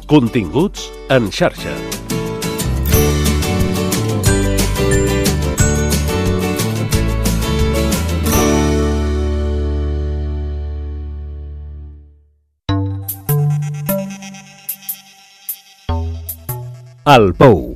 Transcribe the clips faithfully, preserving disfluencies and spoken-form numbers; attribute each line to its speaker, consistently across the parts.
Speaker 1: Continguts en xarxa. El Pou.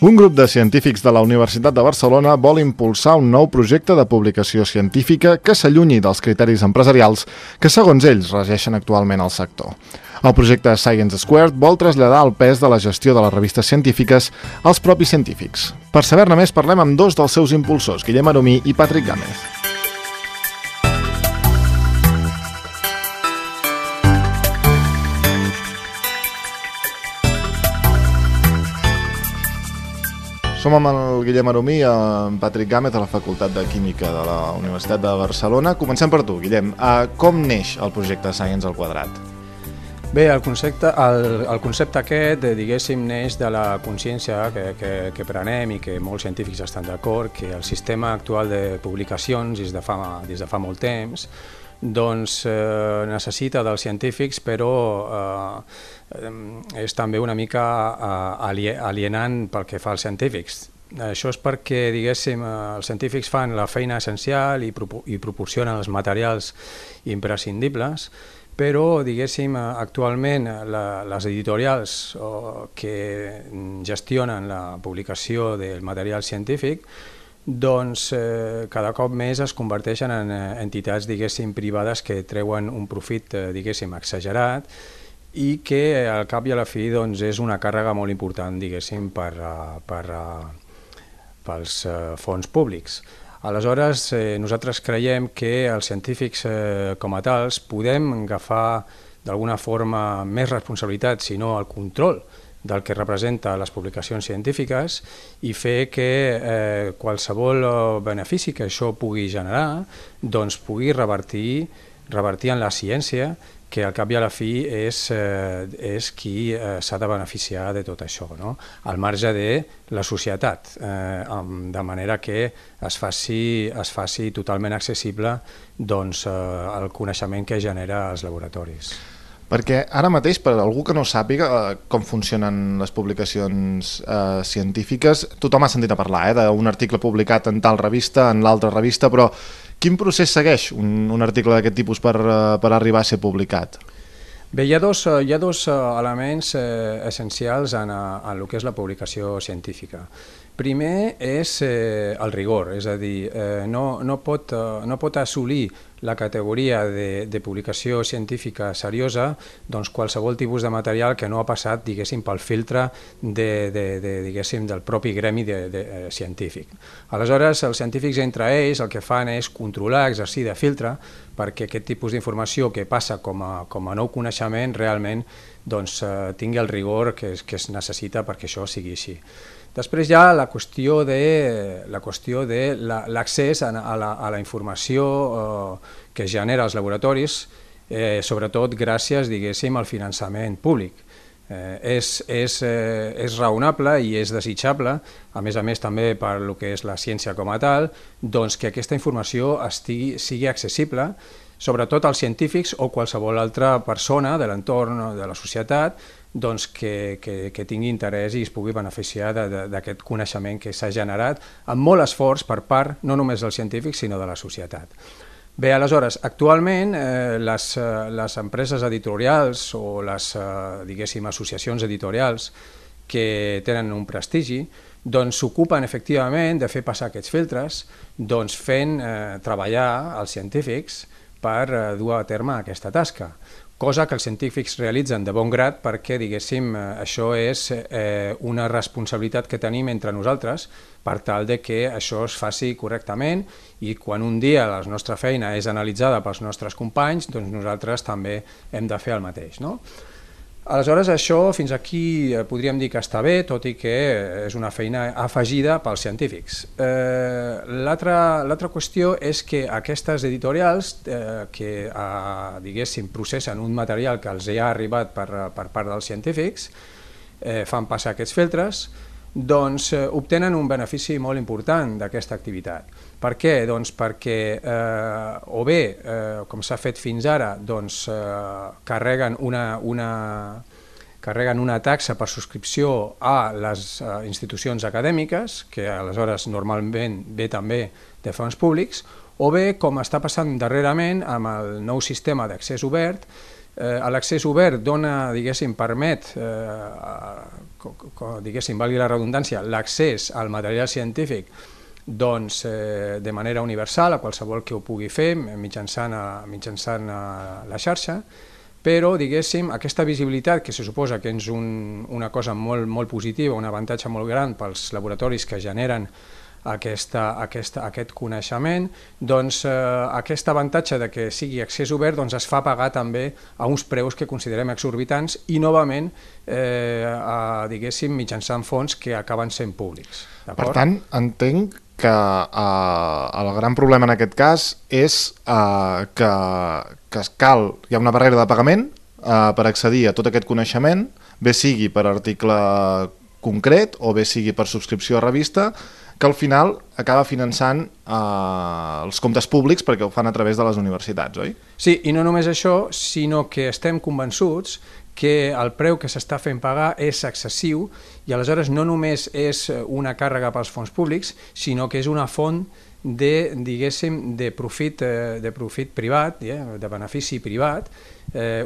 Speaker 2: Un grup de científics de la Universitat de Barcelona vol impulsar un nou projecte de publicació científica que s'allunyi dels criteris empresarials que, segons ells, regeixen actualment el sector. El projecte Science Squared vol traslladar el pes de la gestió de les revistes científiques als propis científics. Per saber-ne més, parlem amb dos dels seus impulsors, Guillem Aromí i Patrick Gámez. Som amb el Guillem Aromí i en Patrick Gámez a la Facultat de Química de la Universitat de Barcelona. Comencem per tu, Guillem. Com neix el projecte Science al quadrat?
Speaker 3: Bé, el concepte, el, el concepte aquest, diguéssim, neix de la consciència que, que, que prenem i que molts científics estan d'acord, que el sistema actual de publicacions des de fa, des de fa molt temps doncs eh, necessita dels científics, però eh, és també una mica eh, alienant pel que fa als científics. Això és perquè, diguéssim, els científics fan la feina essencial i, pro i proporcionen els materials imprescindibles, però, diguéssim, actualment la, les editorials oh, que gestionen la publicació del material científic doncs eh, cada cop més es converteixen en eh, entitats, diguéssim, privades que treuen un profit, eh, diguéssim, exagerat i que eh, al cap i a la fi doncs, és una càrrega molt important, diguéssim, per, uh, per, uh, pels uh, fons públics. Aleshores, eh, nosaltres creiem que els científics eh, com a tals podem agafar d'alguna forma més responsabilitat, si no el control del que representa les publicacions científiques i fer que eh, qualsevol benefici que això pugui generar doncs pugui revertir, revertir en la ciència, que al cap i a la fi és, eh, és qui eh, s'ha de beneficiar de tot això, no? Al marge de la societat, eh, de manera que es faci, es faci totalment accessible doncs, eh, el coneixement que genera als laboratoris.
Speaker 2: Perquè ara mateix, per algú que no sàpiga eh, com funcionen les publicacions eh, científiques, tothom ha sentit a parlar eh, d'un article publicat en tal revista, en l'altra revista, però quin procés segueix un, un article d'aquest tipus per, eh, per arribar a ser publicat?
Speaker 3: Bé, hi ha dos, hi ha dos elements eh, essencials en, en el que és la publicació científica. Primer és eh, el rigor, és a dir, eh, no, no, pot, eh, no pot assolir la categoria de, de publicació científica seriosa doncs qualsevol tipus de material que no ha passat, diguéssim, pel filtre de, de, de, diguéssim, del propi gremi de, de, de, científic. Aleshores, els científics entre ells el que fan és controlar, exercir de filtre, perquè aquest tipus d'informació que passa com a, com a nou coneixement realment doncs, eh, tingui el rigor que es, que es necessita perquè això sigui així. Després hi ha la qüestió de la qüestió de l'accés a, a, la, a la informació eh, que genera els laboratoris, eh, sobretot gràcies, diguéssim, al finançament públic. Eh, és, és, eh, és raonable i és desitjable, a més a més també per lo que és la ciència com a tal, doncs que aquesta informació estigui, sigui accessible, sobretot als científics o qualsevol altra persona de l'entorn de la societat doncs que, que, que tingui interès i es pugui beneficiar d'aquest coneixement que s'ha generat amb molt esforç per part no només dels científics sinó de la societat. Bé, aleshores, actualment eh, les, les empreses editorials o les, eh, diguéssim, associacions editorials que tenen un prestigi doncs s'ocupen efectivament de fer passar aquests filtres doncs fent eh, treballar els científics per eh, dur a terme aquesta tasca. Cosa que els científics realitzen de bon grat perquè, diguéssim, això és eh, una responsabilitat que tenim entre nosaltres per tal de que això es faci correctament i quan un dia la nostra feina és analitzada pels nostres companys, doncs nosaltres també hem de fer el mateix, no? Aleshores, això fins aquí podríem dir que està bé, tot i que és una feina afegida pels científics. Eh, L'altra qüestió és que aquestes editorials eh, que, eh, diguéssim, processen un material que els ha arribat per, per part dels científics, eh, fan passar aquests filtres, doncs eh, obtenen un benefici molt important d'aquesta activitat. Per què? Doncs perquè eh, o bé, eh, com s'ha fet fins ara, doncs, eh, carreguen, una, una, carreguen una taxa per subscripció a les eh, institucions acadèmiques, que aleshores normalment ve també de fons públics, o bé, com està passant darrerament amb el nou sistema d'accés obert, eh, l'accés obert dona, diguéssim, permet, eh, diguéssim, valgui la redundància, l'accés al material científic doncs, eh, de manera universal a qualsevol que ho pugui fer mitjançant, a, mitjançant a la xarxa, però diguéssim, aquesta visibilitat, que se suposa que és un, una cosa molt, molt positiva, un avantatge molt gran pels laboratoris que generen aquesta, aquesta, aquest coneixement, doncs eh, aquest avantatge de que sigui accés obert doncs, es fa pagar també a uns preus que considerem exorbitants i novament eh, a, diguéssim, mitjançant fons que acaben sent públics.
Speaker 2: Per tant, entenc que eh, el gran problema en aquest cas és eh, que, que cal, hi ha una barrera de pagament eh, per accedir a tot aquest coneixement, bé sigui per article concret o bé sigui per subscripció a revista, que al final acaba finançant eh, els comptes públics perquè ho fan a través de les universitats, oi?
Speaker 3: Sí, i no només això, sinó que estem convençuts que el preu que s'està fent pagar és excessiu i aleshores no només és una càrrega pels fons públics, sinó que és una font de, diguéssim, de profit, de profit privat, de benefici privat,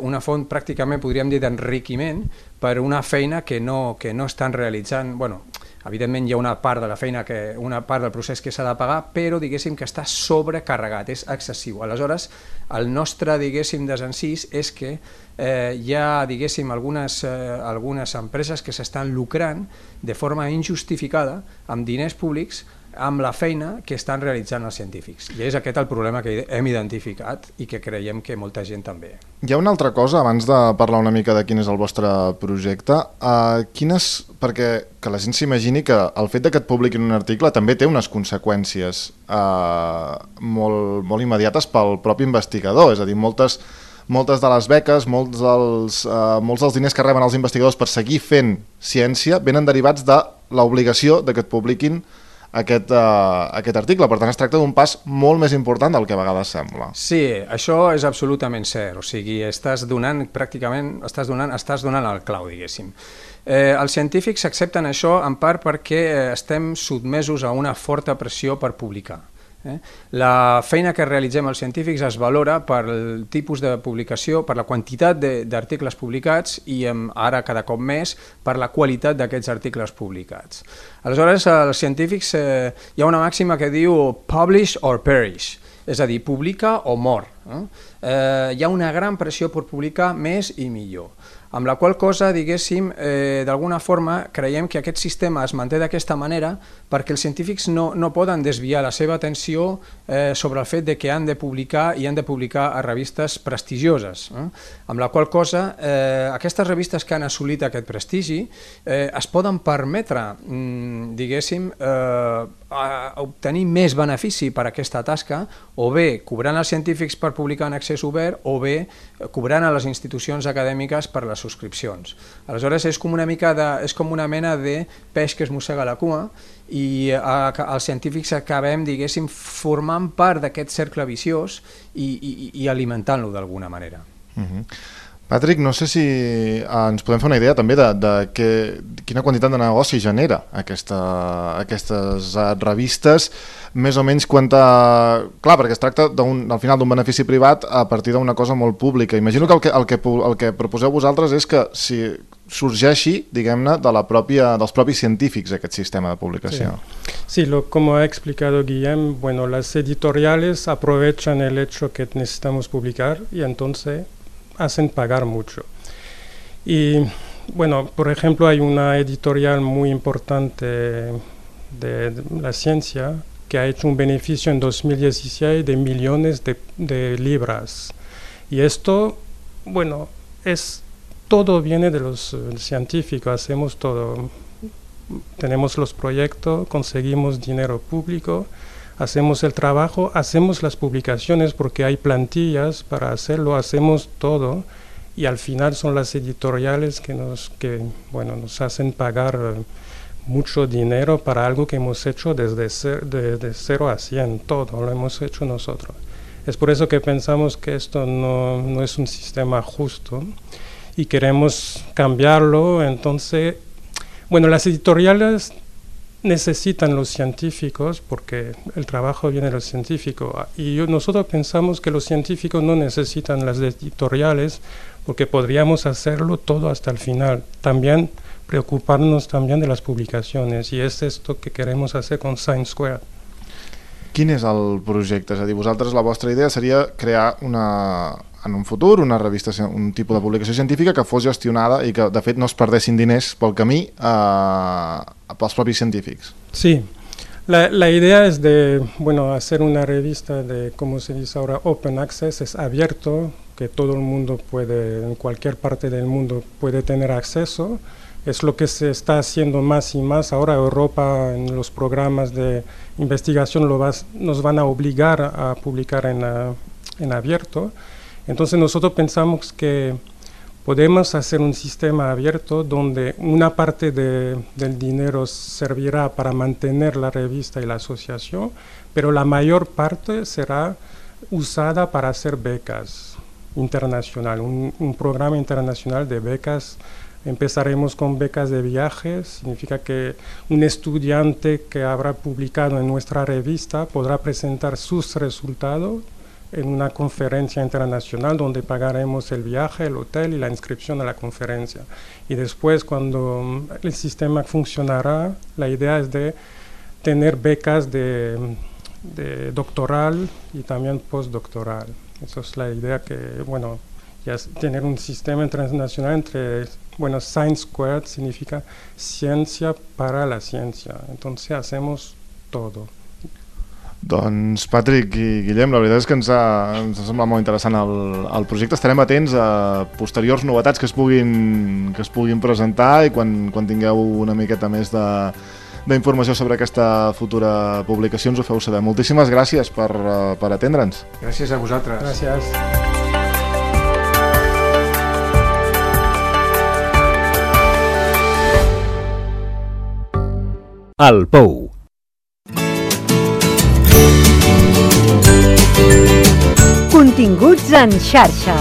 Speaker 3: una font pràcticament, podríem dir, d'enriquiment per una feina que no, que no estan realitzant. Bueno, evidentment hi ha una part de la feina, que, una part del procés que s'ha de pagar, però diguéssim que està sobrecarregat, és excessiu. Aleshores, el nostre, diguéssim, desencís és que eh, hi ha, diguéssim, algunes, eh, algunes empreses que s'estan lucrant de forma injustificada amb diners públics amb la feina que estan realitzant els científics. I és aquest el problema que hem identificat i que creiem que molta gent també.
Speaker 2: Hi ha una altra cosa, abans de parlar una mica de quin és el vostre projecte, uh, quines, perquè que la gent s'imagini que el fet de que et publiquin un article també té unes conseqüències uh, molt, molt immediates pel propi investigador, és a dir, moltes, moltes de les beques, molts dels, uh, molts dels diners que reben els investigadors per seguir fent ciència venen derivats de l'obligació de que et publiquin Aquest, uh, aquest article. Per tant, es tracta d'un pas molt més important del que a vegades sembla.
Speaker 3: Sí, això és absolutament cert. O sigui, estàs donant pràcticament, estàs donant, estàs donant el clau, diguéssim. Eh, els científics accepten això en part perquè estem sotmesos a una forta pressió per publicar. Eh? La feina que realitzem els científics es valora per el tipus de publicació, per la quantitat d'articles publicats i ara cada cop més per la qualitat d'aquests articles publicats. Aleshores, els científics, eh, hi ha una màxima que diu publish or perish, és a dir, publica o mor. Eh? Eh, hi ha una gran pressió per publicar més i millor. Amb la qual cosa, diguéssim, eh, d'alguna forma creiem que aquest sistema es manté d'aquesta manera perquè els científics no, no poden desviar la seva atenció eh, sobre el fet de que han de publicar i han de publicar a revistes prestigioses. Eh? Amb la qual cosa, eh, aquestes revistes que han assolit aquest prestigi eh, es poden permetre, mm, diguéssim, eh, a obtenir més benefici per aquesta tasca, o bé cobrant als científics per publicar en accés obert, o bé cobrant a les institucions acadèmiques per les subscripcions. Aleshores és com una mica de, és com una mena de peix que es mossega la cua i a, els científics acabem, diguéssim, formant part d'aquest cercle viciós i, i, i alimentant-lo d'alguna manera.
Speaker 2: Uh-huh. Patrick, no sé si ens podem fer una idea també de, de que, quina quantitat de negoci genera aquesta, aquestes revistes, més o menys quanta... Clar, perquè es tracta al final d'un benefici privat a partir d'una cosa molt pública. Imagino que el que, el que el que proposeu vosaltres és que si sorgeixi, diguem-ne, de la pròpia, dels propis científics aquest sistema de publicació.
Speaker 4: Sí, sí, lo, como ha explicado Guillem, bueno, las editoriales aprovechan el hecho que necesitamos publicar y entonces hacen pagar mucho. Y bueno, por ejemplo, hay una editorial muy importante de, de la ciencia que ha hecho un beneficio en dos mil dieciséis de millones de, de libras. Y esto, bueno, es todo viene de los uh, científicos, hacemos todo. Tenemos los proyectos, conseguimos dinero público, hacemos el trabajo, hacemos las publicaciones porque hay plantillas para hacerlo, hacemos todo y al final son las editoriales que nos, que, bueno, nos hacen pagar uh, mucho dinero para algo que hemos hecho desde cer de, de cero a cien, todo lo hemos hecho nosotros. Es por eso que pensamos que esto no, no es un sistema justo y queremos cambiarlo. Entonces, bueno, las editoriales necesitan los científicos porque el trabajo viene de los científicos y yo, nosotros pensamos que los científicos no necesitan las editoriales porque podríamos hacerlo todo hasta el final. También preocuparnos también de las publicaciones i és esto que queremos hacer con Science Square.
Speaker 2: Quin és el projecte? És a dir, vosaltres la vostra idea seria crear una, en un futur una revista, un tipus de publicació científica que fos gestionada i que de fet no es perdessin diners pel camí eh, pels propis científics.
Speaker 4: Sí, la, la idea es de, bueno, hacer una revista de, como se dice ahora, open access, es abierto, que todo el mundo puede, en cualquier parte del mundo puede tener acceso. Es lo que se está haciendo más y más. Ahora Europa en los programas de investigación lo vas, nos van a obligar a publicar en, a, en abierto. Entonces nosotros pensamos que podemos hacer un sistema abierto donde una parte de, del dinero servirá para mantener la revista y la asociación, pero la mayor parte será usada para hacer becas internacionales, un, un programa internacional de becas. Empezaremos con becas de viajes, significa que un estudiante que habrá publicado en nuestra revista podrá presentar sus resultados en una conferencia internacional donde pagaremos el viaje, el hotel y la inscripción a la conferencia. Y después, cuando el sistema funcionará, la idea es de tener becas de, de doctoral y también postdoctoral. Esa es la idea que, bueno, ya es tener un sistema internacional entre, bueno, Science Squared significa ciencia para la ciencia, entonces hacemos todo.
Speaker 2: Doncs Patrick i Guillem, la veritat és que ens ha, ens ha semblat molt interessant el, el projecte. Estarem atents a posteriors novetats que es puguin, que es puguin presentar i quan, quan tingueu una miqueta més de d'informació sobre aquesta futura publicació ens ho feu saber. Moltíssimes gràcies per, per atendre'ns.
Speaker 3: Gràcies a vosaltres.
Speaker 4: Gràcies.
Speaker 1: El Pou.
Speaker 5: Continguts en xarxa.